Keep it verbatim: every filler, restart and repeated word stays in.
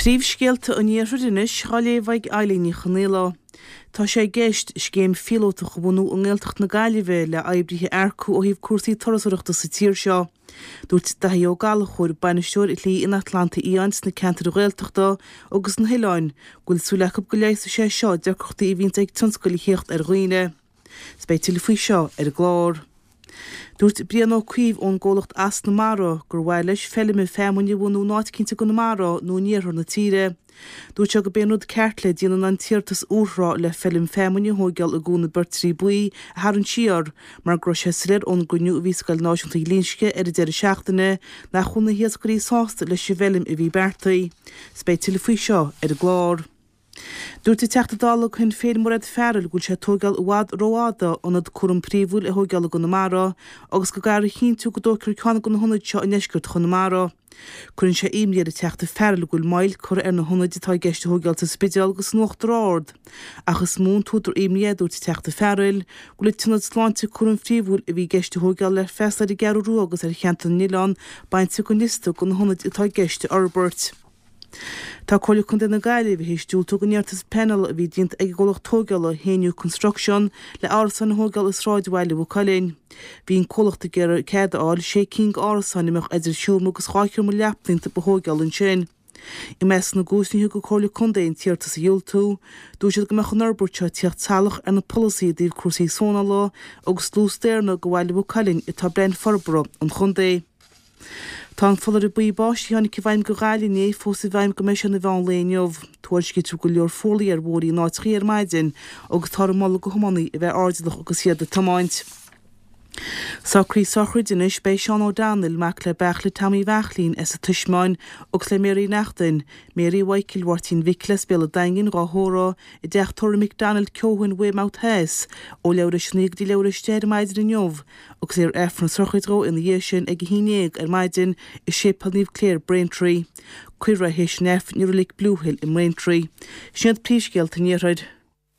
Príomhscéalta an Iarthair anois á léamh ag Eilín Ní Chonaola. Tá sé i gceist scéim phíolótach a bhunú i nGaeltacht na Gaillimhe le oibrithe a earcú ó thaobh cúrsaí turasóireachta sa tír seo. Dúirt Daithí Ó Gallchóir, bainisteoir Shlí an Atlantaigh Fhiáin sna ceantair Ghaeltachta agus sna hoileáin, go bhfuil súil acu go leigheasfaidh sé seo deacrachtaí a bhíonns ag tionscail a thíocht ar dhaoine. 'S beidh tuilleadh faoi seo ar an gclár. Dúirt Brian Ó Cuív ón gcomhlacht Asna Mara gur mhaith leis feilm feamainne a bhunú in áit eicínt i gConamara nó in iarthar na tíre. Dúirt sé gurb é an rud ceart le déanamh ná an t-iarratas úrthrátha le feilm feamainne a thóigeáil i gCuan na Beirtrí Buí a tharraingt siar mar go raibh sé soiléir ón gcruinniú a bhí i Scoil Náisiúnta Ghlinsce ar an deireadh seachtaine nach bhfuil na hiascairí sásta leis an bhfeilm a bhí beartaithe. 'S beidh tuilleadh faoi seo ar an gclár. Dúirt an Teachta Dála Shinn Féin Mairéad Farrell go bhfuil sé ag tóigeáil i bhfad rófhada ionad cúram príomhúil a thóigeáil i gConamara agus go gcaithfear a chinntiú go dtógfar ceann de na hionaid seo i ndeisceart Chonamara. Cuireann sé imní ar an Teachta Farrell go bhfuil moill curtha ar na hionaid atá i gceist a thóigeáil sa Spidéal agus san Uachtar Ard. Ach is mó an t-údar imní é, a dúirt an Teachta Farrell, go bhfuil an t-ionad sláinte cúram phríomhúil a bhí i gceist a thóigeáil le freastal ar an gCeathrú Rua agus ar cheantar na n-oileán bainte den liosta de na hionaid atá i gceist a fhorbairt. Tá Comhairle Contae na Gaillimhe théis diúltú don iarratas pleanála a bhí déanta ag an gcomhlacht tógála Hainaut Construction le árasáin a thógáil i sráidbhaile Mhaigh Cuilinn. Bhí an comhlacht ag iarraidh cead a fháil sé cinn d'árasáin a mbeadh idir sheomra agus dhá sheomra leapan iontu a thógáil ansin. I measc na gcúiseanna a thug an Chomhairle Contae an t-iarratas a dhiúltú, dúirt siad go mbeadh an fhorbairt seo ag tíocht salach ar na polasaithe i dtaobh cúrsaí sónála agus dlús daonna do bhaile Mhaigh Cuilinn atá i bplean forbartha an chontae. Tá an foláireamh buí báistí a tháinig i bhfeidhm do Ghaillimh inné fós i bhfeidhm go mbeidh sé ina mheán lae inniu. Tuairiscítear go leor fuarlaigh ar bhóithrí in áiteachaí ar maidin agus táthar ag moladh do thiománaithe a bheith airdeallach agus iad ag tiomáint. Socruithe sochraide anois Beidh Seán O'Donnell, mac le Beairtle Tommy Bheairtlín as an Taismeáin agus le Mary Neachtain, Mary Mhichael Mháirtín Mhicil as Béal an Daingin, dhá thórramh i dteach tórraimh McDonald Keohane Weymouth Theas ó leathuair tar éis a naoi go dtí leathuair tar éis a deich ar maidin inniu agus léifear Aifreann sochraide dhó ina dhiaidh sin ag a haon déag ar maidin i Séipéal Naomh Clare, Braintree. Cuirfear é théis an Aifrinn i Reilig Blue Hill i mBraintree. Sin iad príomhscéalta an Iarthair.